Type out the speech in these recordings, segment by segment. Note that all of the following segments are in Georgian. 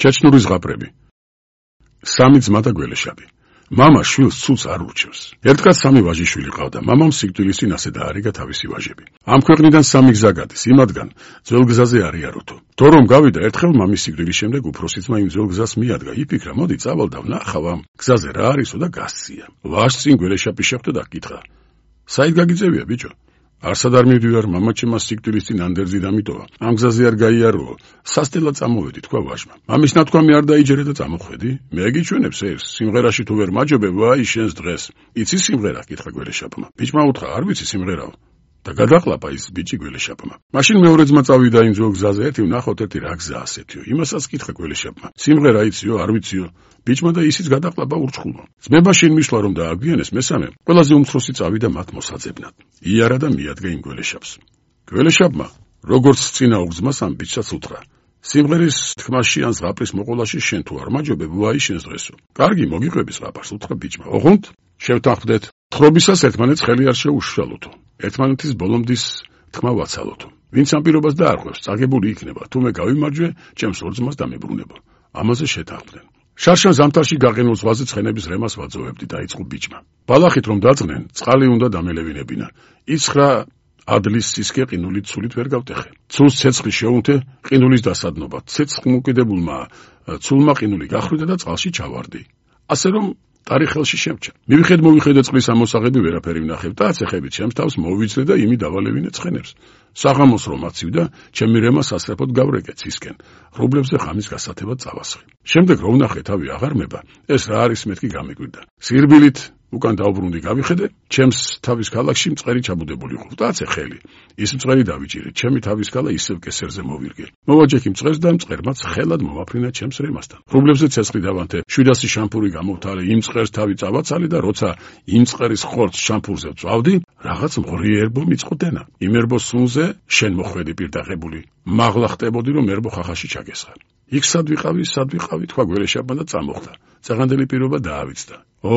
ჩეჩნური ზღაპრები. სამი ძმა და გველეშაპი. მამა შვილს ცულს არ ურჩევს. ერთგაც სამი ვაჟიშვილი ყავდა. მამამ სიკვდილის წინ ასე დაარიგა თავისი ვაჟები. ამ ქვეყნიდან სამი გზა გადის, იმათგან ძველ გზაზე არ იაროთო. თორ რომ გავიდა ერთხელ მამის სიკვდილის შემდეგ უფროსი ძმა იმ ძველ გზას მიადგა. იფიქრა, მოდი წავალ და ვნახავ ამ გზაზე რა არისო და გასცია. ვაჟს წინ გველეშაპი შეხვდა და კითხა: საით გაგიძევია ბიჭო? არსად არ მივდივარ, მამაჩემ სიკვდილის წინ ანდერძი დამიტოვა. ამ გზაზე არ გაიარო. სასტელად წამოვედი, თქვა ვაჟმა. მამის ნათქვამი არ დაიჯერე და წამოხვედი. მე გიჩვენებს ეს, სიმღერაში თუ ვერ მაჯობე, ვაი შენს დღეს. იცი სიმღერა? კითხა გველეშაპმა. ბიჭმა უთხრა, არ ვიცი სიმღერაო. და გადაყლაპა ის ბიჭი გველეშაპმა. მაშინ მეორე ძმა წავიდა იმ ძველ გზაზე, ერთი ვნახოთ ერთი რა გზა ასეთიო. იმასაც კითხა გველეშაპმა. სიმღერა იციო, არ ვიციო. ბიჭმა და ისიც გადაყლაპა ურჩხულო. ძმება შინ მისვლა რომ დააგვიანეს მესამე, ყველაზე უმცროსი წავიდა მათ მოსაძებნად. იარა და მიადგა იმ გველეშაპს. გველეშაპმა, როგორც წინა უგზმას ამ ბიჭსაც უთხრა: სიმღერის თქმაში ან ზღაპრის მოყოლაში შენ თუ არ მაჯობებ, ვაი შენს დღესო. კარგი, მოგიყვები ზღაპარს, უთხრა ბიჭმა. ოღონდ შევთანხმდეთ. თხრობისას ერთმანეთს ხელი არ შეუშალოთო. ერთმანეთის ბოლომდის თქმა ვაცალოთო. ვინც ამ პირობას დაარღვევს, წაგებული იქნება, თუ მე გავიმარჯვე, ჩემს ორ ძმას დამებრუნება. ამაზე შეთანხმდნენ. შარშან ზამთარში გაყინულ ზღვაზე ცხენების რემას ვაძოვებდი, დაიწყო ბიჭმა. ბალახით რომ დაწყნენ, წყალი უნდა დამელევინებინა. იცხრა ადლის სისქე ყინულით ცულით ვერ გავტეხე. ცულს ცეცხლი შეუნთე ყინულის დასადნობა. ცეცხლმოკიდებულმა ცულმა ყინული გახვიდა და წყალში ჩავარდი. ასე რომ ტარი ხელში შემჭა. მივიხედე წყლის ამოსაღები ვერაფერი ვნახებ და აცეხებით ჩემს თავს მოვიძლე და იმი დავალევინე ცხენებს. საღამოს რომ აცივდა, ჩემი რემა სასწრაფოდ გავრეკე ცისკენ. რუბლებზე ხამის გასათებად წავასხი. შემდეგ რომ ვნახე თავი აღარ მევა, ეს რა არის მეთქი გამიკვირდა. სირბილით უკან დავბრუნდი გავიხედე, ჩემს თავის ქალაქში მწყერი ჩაბუდებული ყოფდა, აცე ხელი. ის მწყერი დავიჭირე, ჩემი თავის ქალა ისევ კესერზე მოვირგე. მოვაჯექი მწყერს და მწყერმაც ხელად მომაფრინა ჩემს რემასთან. რუბლებზე ცეცხლი დავანთე, 700 შამპური გამოვთალე, იმ მწყერს თავი წავაცალე და როცა იმ მწყერის ხორცს შამპურზე წვავდი, რაღაც მღრი ერბო მიწყდენა. იმ ერბოს სუნზე შენ მოხვედი პირდაღებული. მაღლა ხტებოდი რომ ერბო ხახაში ჩაგესხა. იქ სად ვიყავი, თქვა გველეშაპმა და წამოხდა. წაღანდელი პირობა დაავიწყდა. ო,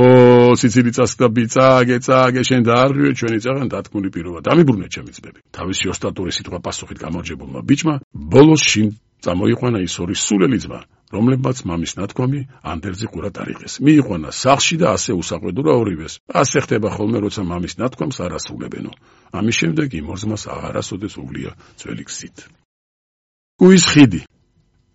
სიცილი წასკდა ბიძაგე, შენ დაარღვიე ჩვენი წაღან დათქმული პირობა. დამიბრუნე ჩემი ძმები. თავისი ოსტატური სიტყვა პასუხით გამარჯვებულმა ბიჭმა ბოლოს შინ წამოიყვანა ის ორი სულელი ძმა, რომლებმაც მამის ნათქვამი ანდერძი ყურად არიღეს. მიიყვანა სახლში და ასე უსაყვედურა ორივეს. ასე ხდება ხოლმე, როცა მამის ნათქვამს არ ასრულებენო. ამის შემდეგ იმ ორ ძმას აღარასოდეს უვლია ძველი გზით. კუის ხიდი.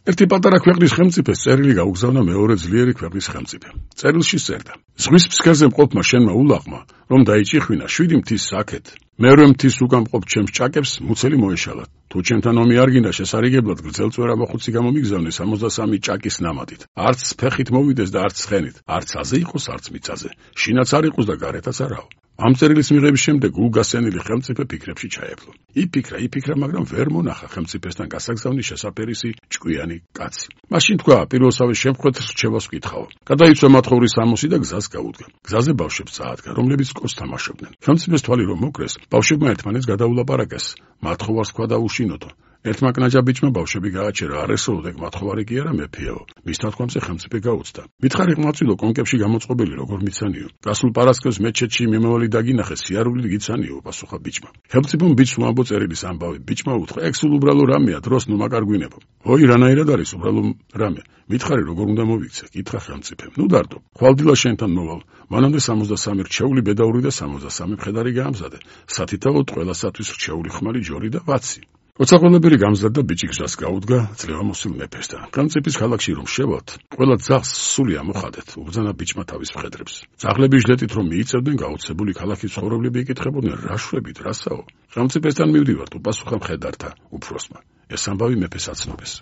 ერთი პატარა ქვეყნის ხელმწიფეს წერილი გაუგზავნა მეორე ძლიერი ქვეყნის ხელმწიფემ. წერილში წერდა: ზღვის ფსკერზე მყოფმა შენმა ულაღმა, რომ დაიჭიხვინა 7 მთის საქეთ, მერვე მთის უკან მყოფ ჩემს ჭაკებს მუცელი მოეშალათ. თუ ჩემთან ომი არ გინდა შესარიგებლად გრძელწვერა მოხუცი გამომიგზავნე 63 ჭაკის ნამატით. არც ფეხით მოვიდეს და არც ცხენით, არც აზე იყოს, არც მიწაზე. შინაც არ იყოს და გარეთაც არაო. ამ წერილის მიღების შემდეგ უგასენილი ხელმწიფე ფიქრებში ჩაეფლო. იფიქრა, მაგრამ ვერ მონახა ხელმწიფესთან გასაგზავნის შესაფერისი ჭკვიანი კაცი. მაშინ თქვა, პირველსავე შემთხვევით რჩევას ვკითხაო. გადაიცვა მათხოვრის სამოსი და გზას გაუდგა. გზაზე ბავშვებს წაადგა, რომლებიც კოს თამაშობდნენ. ხელმწიფეს თვალი რომ მოკრეს, ბავშვებმა ერთმანეთს გადაულაპარაკეს. მათხოვარს თქვა დაუშინოთო. ერთმა კნაჯა ბიჭმა ბავშვები გააჩერა, არ ესწროდეკ მათხოვარი კი არა მეფეო. მის თათქვამზე ხელმწიფე გაუცდა. მითხარი ყმაწვილო კონკებში გამოწყობილი როგორ მიცანიო. გასულ პარასკევს მეჩეთში მიმავალი დაგინახე, სიარულით გიცანიო, პასუხა ბიჭმა. ხელმწიფომ ბიჭს უამბო წერილის ამბავი. ბიჭმა უთხრა: ეგ სულ უბრალო რამეა, დროს ნუ მაკარგვინებო. ой, რანაირად არის უბრალო რამე? მითხარი როგორ უნდა მოვიქცე? კითხა ხელმწიფემ. ნუ დარდო, ხვალდილა შენთან მოვალ. მანამდე 63 რჩეული ბედაური და 63 მხედარი გაამზადე. სათითაოდ ყველასათვის რჩეული ხმალი ჯორი და ვაცი. როცა ყველაფერი გამზადდა, ბიჭი გზას გაუდგა ძლევამოსილ მეფესთან. ხელმწიფის ქალაქში რომ შევალთ, ყველა ძაღლს სული ამოხადეთ, უბრძანა ბიჭმა თავის მხედრებს. ძაღლები ჟლეტით რომ მიიწევდნენ, გაუცებული ქალაქის ცხოვრებლები იკითხებოდნენ: რა შვებით, რასაო? ხელმწიფესთან მივდივართ, უპასუხა მხედართა უფროსმა. ეს ამბავი მეფეს აცნობეს.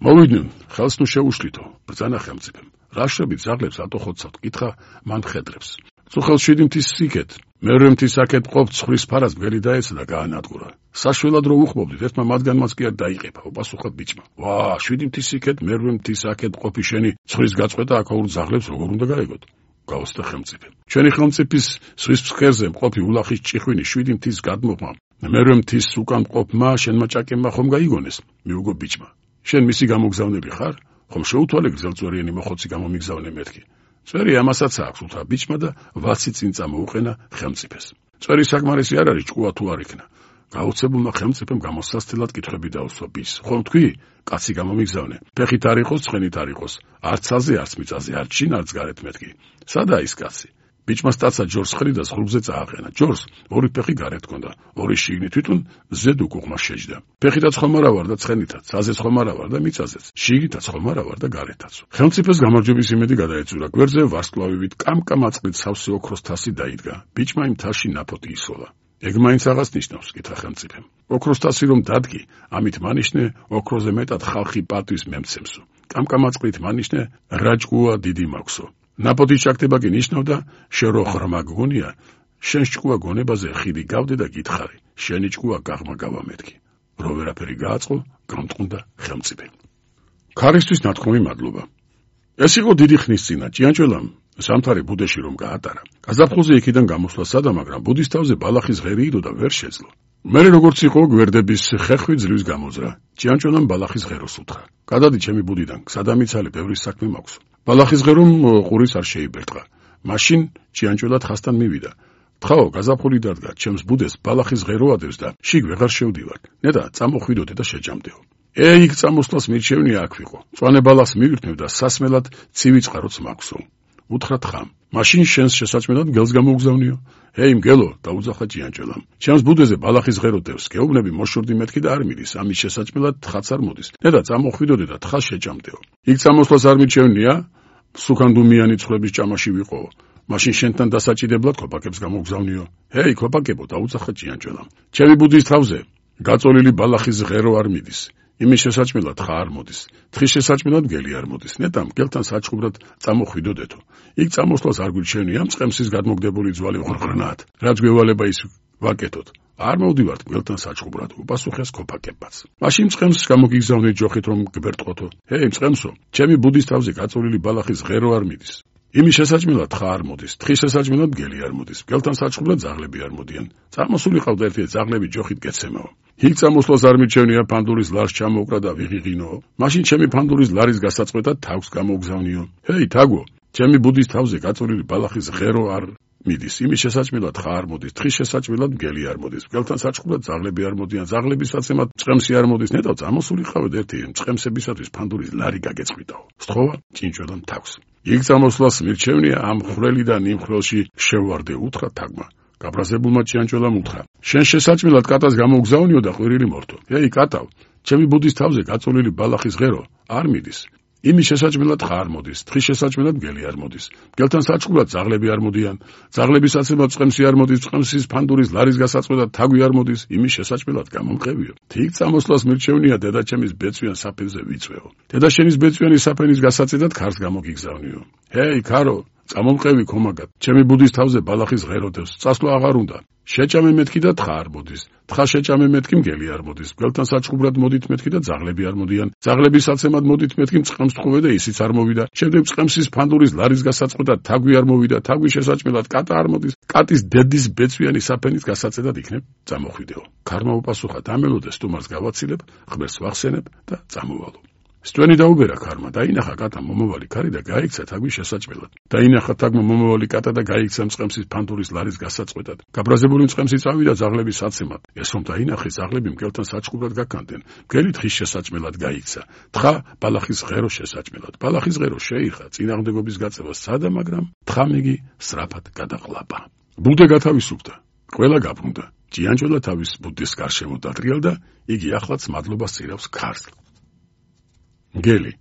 მოვიდნენ, ხელს ნუ შეუშლითო, ბრძანა ხელმწიფემ. რა შვებით ძაღლებს ატოხოცავთ, კითხა მან მხედრებს. წუხელ 7 მთის სიკეთ, მერვე მთის აქეთ მყოფ ცხრის ფარას ბგერი დაეცა და გაანადგურა. საშველად რო უხმობდით, ერთმა მათგანმაც კი არ დაიყეფა, უპასუხა ბიჭმა. ვა, 7 მთის სიკეთ, მერვე მთის აქეთ მყოფი შენი ცხრის გაწყვეტა აქაურ ძაღლებს როგორ უნდა გაეგოთ? გაუსწრა ხელმწიფემ. ჩვენი ხელმწიფის ზღვის ფსკერზე მყოფი ულახის ჭიხვინი 7 მთის გადმოყმა, მერვე მთის უკან მყოფმა შენმა ჭაკებმა ხომ გაიგონეს? მიუგო ბიჭმა. შენ მისი გამოგზავნელი ხარ? ხომ შეუთვალე გრძელწვერიანი მოხოცი გამომიგზავნე მეთქი? წვერი ამასაც აქვს, უთხრა ბიჭმა და ვაცი წინ წამოუყენა ხელმწიფეს. წვერი საკმარისი არ არის, ჭკუა თუ არ იქნა. გაუცებულმა ხელმწიფემ გამოსასწრებლად კითხვები დაუსვა ბიჭს. ხომ თქვი? კაცი გამომიგზავნე. ფეხით არ იყოს, ცხენით არ იყოს. არც ცაზე, არც მიწაზე, არც შინ, არც გარეთ მეთქი. სადაა ის კაცი? ბიჭმა სტაცა ჯორს ხრიდა ზღურზე წააყენა. ჯორს ორი ფეხი გარეთ ჰქონდა, ორი შიგნით, თვითონ ზედ უკუღმა შეჯდა. ფეხითაც ხომ არა ვარ და ცხენითაც, ცაზეც ხომ არა ვარ და მიწაზეც, შიგნითაც ხომ არა ვარ და გარეთაც. ხელმწიფეს გამარჯვების იმედი გადაეცურა. გვერდზე ვარსკვლავივით კამკამაწყლით სავსე ოქროს თასი დაიდგა. ბიჭმა იმ თასში ნაფოტი ისოლა. ეგ მაინც აღას ნიშნავს, კითხა ხელმწიფემ. ოქროს თასი რომ დადგი, ამით მანიშნე ოქროზე მეტად ხალხი პატვის მემცემსო. კამკამაწყლით მანიშნე რაჭკუა დიდი მაქვსო. ნაფოტის ჩაგდება კი ნიშნავდა, შენ რო ღრმა გგონია, შენ ჭკუა გონებაზე ხიდი გავდე და გითხარი, შენი ჭკუა გაღმა გავამეთქი. რო ვერაფერი გააწყო, გამწყუნდა ხელმწიფე. ქარისთვის ნათქვამი მადლობა. ეს იყო დიდი ხნის წინა ჭიანჭველამ სამთარი ბუდეში რომ გაატარა. გაზაფხულზე იქიდან გამოსვლა სადა, მაგრამ ბუდის თავზე ბალახის ღერი იდო და ვერ შეძლო. მერე როგორც იყო გვერდების ხეხვი ძლივს გამოძრა. ჭიანჭველამ ბალახის ღეროს უთხრა. გადადი ჩემი ბუდიდან, სადამიცალე ბევრი საქმე მაქვს. ბალახის ღერომ ყურის არ შეიბერტყა. მაშინ ჭიანჭველად ხასთან მივიდა. თხაო, გაზაფხული დადგა, ჩემს ბუდეს ბალახის ღერო ადევს და შიგ ვეღარ შევდივარ. ნედა წამოხვიდოდე და შეჯამდეო. იქ წამოსვლას მირჩევნია აქ ვიყო. მწვანე ბალახს მივირთმევ და სასმელად ცივი წყაროც მაქვსო. უთხრა თხამ. მაშინ შენს შესაჭმელად გელს გამოგზავნიო. მგელო, დაუძახა ჭიანჭველამ. ჩემს ბუდეზე ბალახის ღერო დევს, გეუბნები მოშორდი მეთქი და არ მიდის, ამის შესაჭმელად თხაც არ მოდის. ნედა წამოხვიდოდე და თხას შეჯამდეო. იქ წამოსვლას არ მირჩევნია, სუქანდუმიანი ცხრების ჭამაში ვიყო. მაშინ შენთან დასაჭიდებლად ქოპაკებს გამოგზავნიო. ქოპაკებო, დაუძახა ჭიანჭველამ. ჩემი ბუდის თავზე გაწოლილი ბალახის ღერო არ მიდის. იმის შესაჭმელად ხა არ მოდის. თხის შესაჭმელად გელი არ მოდის. ნეტა მგელთან საჭყუბრად წამოხვიდოდეთო. იქ წამოსვლას არ გვირჩევნია, მწყემსის გადმოგდებული ძვალი ღრღრნაათ. რაც გვევალება ის ვაკეთოთ. არ მოვდივართ მგელთან საჭყუბრად, უპასუხეს ქოფაკებაც. მაშინ მწყემს გამოგიგზავნით ჯოხით რომ გბერტყოთო. მწყემსო, ჩემი ბუდის თავზე გაწოლილი ბალახის ღერო არ მიდის. იმის შესაჭმელად ხა არ მოდის. თხის შესაჭმელად გელი არ მოდის. მგელთან საჭყუბრად ზაღლები არ მოდიან. წამოსული ყავდა ერთი ზაღლები ჯოხით გეცემაო. იქ წამოსვლას არ მირჩევნია, ფანდურის ლარს ჩამოუკრა და ვიღიღინო. მაშინ ჩემი ფანდურის ლარის გასაწყვეტად თავს გამოგზავნიო. თაგო, ჩემი ბუდის თავზე გაწოლილი ბალახის ღერო არ მიდის. იმის შესაჭმელად ხა არ მოდის. თხის შესაჭმელად გელი არ მოდის. მგელთან საჭყუბრად ზაღლები არ მოდიან. ზაღლების საცემად მწყემსი არ მოდის. ნეტავ წამოსული ყავდა ერთი მწყემსებისათვის ფანდურის ლარი გაგეწყვიტაო. სთხოვა ჭინჭველამ თავს. იქ წამოსვლას მირჩევნია, ამ ხრელი და ნიმ ხრელში შევვარდე, უთხრა თაგმა. გაბრაზებულმა ჭიანჭველამ უთხრა. შენ შესაჭმელად კატას გამოგზავნიო და ყვირილი მორთო. კატავ, ჩემი ბუდის თავზე გაწოლილი ბალახის ღერო არ მიდის. იმის შესაჭმელად ხა არ მოდის. თხის შესაჭმელად გელი არ მოდის. მგელთან საჭყუბრად ზაღლები არ მოდიან. ზაღლების საცემად წყემსი არ მოდის. წყემსის ფანდურის ლარის გასაწყვეტად თაგვი არ მოდის. იმის შესაჭმელად გამომყევიო. იქ წამოსვლას მირჩევნია, დედაჩემის ბეწვიან საფენზე ვიწვეო. დედაშენის ბეწვიანი საფენის გასაწედად ქარს გამოგიგზავნიო. ქარო, წამომყევი ქომაგად, ჩემი ბუდის თავზე ბალახის ღერო დევს, წასვლა აღარ უნდა. შეჭამე მეთქი და თხა არ მოდის. თხა შეჭამე მეთქი მგელი არ მოდის. მგელთან საჭყუბრად მოდით მეთქი და ზაღლები არ მოდიან. ზაღლების საცემად მოდით მეთქი მწყემს თხოვე და ისიც არ მოვიდა. შემდეგ მწყემსის ფანდურის ლარის გასაწყვეტად თაგვი არ მოვიდა. თაგვის შესაჭმელად კატა არ მოდის. კატის დედის ბეწვიანი საფენის გასაწედად იქნებ წამოხვიდეო. ქარმა უპასუხა, დამელოდე სტუმარს გავაცილებ, ღმერთს ვახსენებ და წამოვალო. სტვენი დაუბერა ქარმა, დაინახა კატა მომავალი ქარი და გაიქცა თაგვის შესაჭმელად. დაინახა თაგმა მომავალი კატა და გაიქცა მწყემსის ფანდურის ლარის გასაწყვეტად. გაბრაზებული მწყემსი წავიდა ზაღლების საცემად. ეს რომ დაინახეს, ზაღლები მგელთან საჭყუბრად გაქანდნენ. მგელი თხის შესაჭმელად გაიქცა. თხა ბალახის ღერო შესაჭმელად. ბალახის ღერო შეიხა, წინააღმდეგობის გაწევა სცადა, მაგრამ თხამიგი სწრაფად გადაყლაპა. ბუდე გათავისუფლდა. ყველა გაბრუნდა. ჭიანჭველა თავის ბუდეს გარშემო დადრიალდა, იგი ახლაც მადლობას წირავს ქარს. გელი.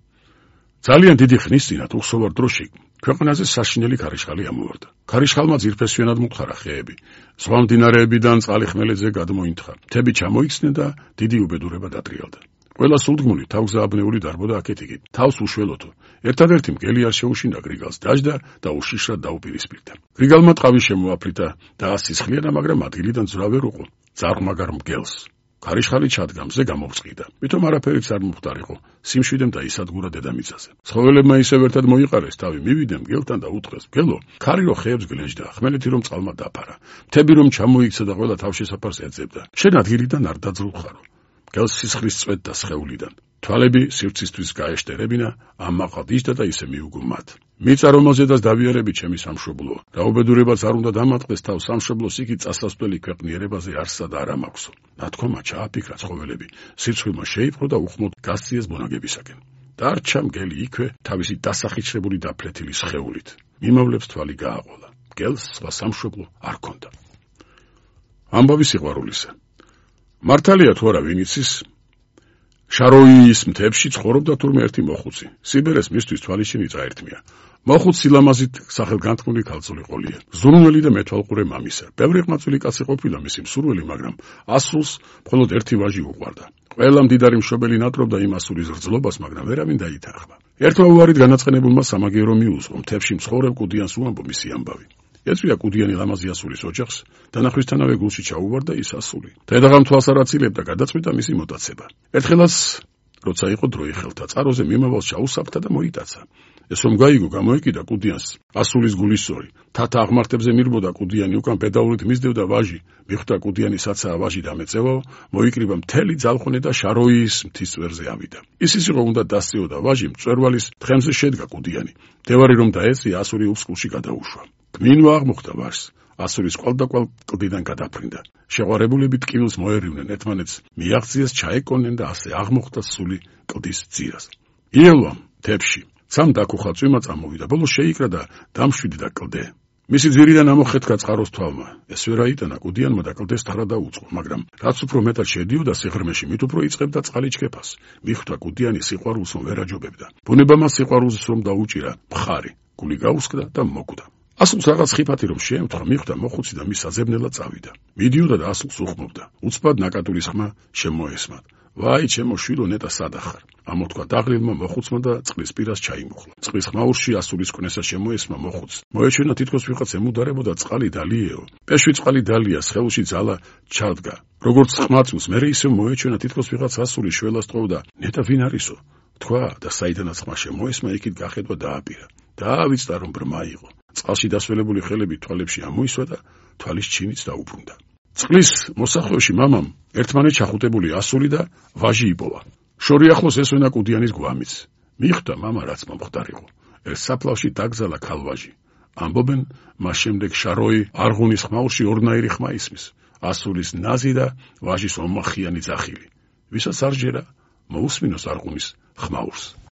ძალიან დიდი ხნის წინათ უხსოვარ დროში ქვეყანაზე საშინელი ქარიშხალი ამოვარდა. ქარიშხალმა ძირფესვიანად მოხარა ხეები. სხვა მდინარეებიდან წყალი ხმელეთზე გადმოინთხა. მთები ჩამოიქცნენ და დიდი უბედურება დადრიალდა. ყველა სულდგმული თავგზააბნეული დარბოდა აქეთ-იქით. თავს უშველოთო. ერთადერთი მგელი არ შეუშინდა გრიგალს, დაჯდა და უშიშრად დაუპირისპირდა. გრიგალმა ტყავი შემოაფრითა და ასისხლიანა, მაგრამ ადგილიდან ძრავ ვერ უყო. ძაღლმაგარ მგელს. ქარიშხალი ჩადგა, მზე გამოვწყიდა. მითომ არაფერიც არ მომხდარიყო. სიმშვიდემ დაისადგურა დედამიწაზე. ცხოველებმა ისევ ერთად მოიყარეს თავი, მივიდნენ მგელთან და უთხრეს: მგელო, ქარი რო ხეებს გლეჯდა, ხმელეთი რომ წყალმა დაფარა, მთები რომ ჩამოიქცა და ყველა თავშესაფარს ეძებდა. შენ ადგილიდან არ დაძრულხარო. გელს სისხლის წვეთ და სხეულიდან. თვალები სივრცისთვის გაეშტერებინა, ამაყად იჯდა და ისე მიუგო მათ. მიწა რომელზედაც დავიარები ჩემი სამშობლო, რაუბედურებაც არ უნდა დამატყდეს თავს სამშობლოს იქით წასასვლელი ქვეყნიერებაზე არსად არ ამაქვსო. ნათქვამა ჩააფიქრა ცხოველები, სირცხვილმა შეიპყრო და უხმოდ გასციეს ბუნაგებისაკენ. დარჩა მგელი იქვე თავისი დასახიჩრებული და ფლეთილი სხეულით. მიმავლებს თვალი გააყოლა. მგელს სხვა სამშობლო არ ქონდა. ამბავი სიყვარულისა. მართალია თუ არა ვინ იცის, შაროიის მთებში ცხოვრობდა თურმე ერთი მოხუცი. სიბერეს მისთვის თვალიშინი წაერთმია. მოხუც სილამაზით სახელგანთქმული ქალწული ყოლია. ზურმელი და მეთვალყურე მამისა. ბევრი ყმაწვილი კაცი ყოფილა მისი მსურველი, მაგრამ ასულს მხოლოდ ერთი ვაჟი უყვარდა. ყველა მდიდარი მშობელი ნატრობდა იმ ასულის რძლობას, მაგრამ ვერავინ დაითანხმა. ერთმა უარით განაწყენებულმა სამაგიერო მიუძღო, მთებში მცხოვრებ კუდიანს უამბო მისი ამბავი. ეწვია კუდიანი ლამაზი ასულის ოჯახს, დანახვისთანავე გულში ჩაუვარდა ის ასული. დედაღამ თვალს არ აცილებდა, გადაწყვიტა მისი მოტაცება. ერთხელაც, როცა იყო დროი ხელთა, წყაროზე მიმავალს ჩაუსაფრთა და მოიტაცა. ეს რომ გაიგო, გამოეკიდა კუდიანს ასულის გულისწორი. თათა აღმართებზე მირბოდა კუდიანი, უკან პედაურით მისდევდა ვაჟი. მიხვდა კუდიანი საცაა ვაჟი დამეწევაო, მოიკრიბა მთელი ძალხონე და შაროიის მთის წვერზე ავიდა. ის იყო უნდა დასწიოდა ვაჟი, მწვერვალის თხემზე შედგა კუდიანი. დევარი რომ დაეწია, ასური უსკულში გადაუშვა. კმინვა აღმოხდა ვაჟს. ასურის კვალდაკვალ კლდიდან გადაფრინდა. შეყვარებულები ტკივილს მოერივნენ, ერთმანეთს მიაღწიეს, ჩაეკონენ და ასე აღმოხდა სული კლდის ძირას. იელვამ მთებში სამ დაკუხა წვიმა წამოვიდა, ბოლოს შეიკრა და დამშვიდდა კლდე. მისი ძირიდან ამოხეთქა წყაროს თვალმა. ეს ვერ აიტანა კუდიანმა და კლდეს თარა დაუწყო, მაგრამ რაც უფრო მეტად შედიოდა სიღრმეში, მით უფრო იწყებდა წყალი ჩქეფას. მიხვდა კუდიანი სიყვარულს რომ ვერ აჯობებდა. ბუნება მას სიყვარულს რომ დაუჭირა, მხარი, გული გაუსკდა და მოკვდა. ასულს რაღაც ხიფათი რომ შეემთხვა, მიხვდა მოხუცი და მის საძებნელად წავიდა. მიდიოდა და ასულს უხმობდა. უცბად ნაკადულის ხმა შემოესმა. ვაი, ჩემო შვილო, ნეტა სადახარ. ამოთქვა დაღლილმა მოხუცმა და წყლის პირას ჩაიმუხლა. წყლის ხმაურში ასულის კვნესა შემოესმა მოხუცს. მოეჩვენა თითქოს ვიღაც ემუდარებოდა წყალი დალიეო. პეშვი წყალი დალია, სხეულში ძალა ჩადგა. როგორც ხმაწვს, მერე ისევ მოეჩვენა თითქოს ვიღაც ასული შველას ტყოვდა. ნეტა ვინ არისო? თქვა და საიდანაც ხმა შემოესმა, იქით გახედვა დააპირა. დაავიწყდა რომ ბრმა იყო. წყალში დასველებული ხელები თვალებში ამოისვა და თვალის ჩინიც დაუბრუნდა. წყლის მოსახვევში მამამ ერთმანეთ ჩახუტებული ასული და ვაჟი იპოვა. შორი ახლოს ესვენა კუდიანის გვამიც. მიხვდა მამა რაც მომხდარიყო. ერთ საფლავში დაგზალა ქალვაჟი. ამბობენ, მას შემდეგ შაროი არღუნის ხმაურში ორნაირი ხმა ისმის. ასულის ნაზი და ვაჟის ომახიანი ძახილი. ვისაც არ ჯერა, მოусმინოს არღუნის ხმაურს.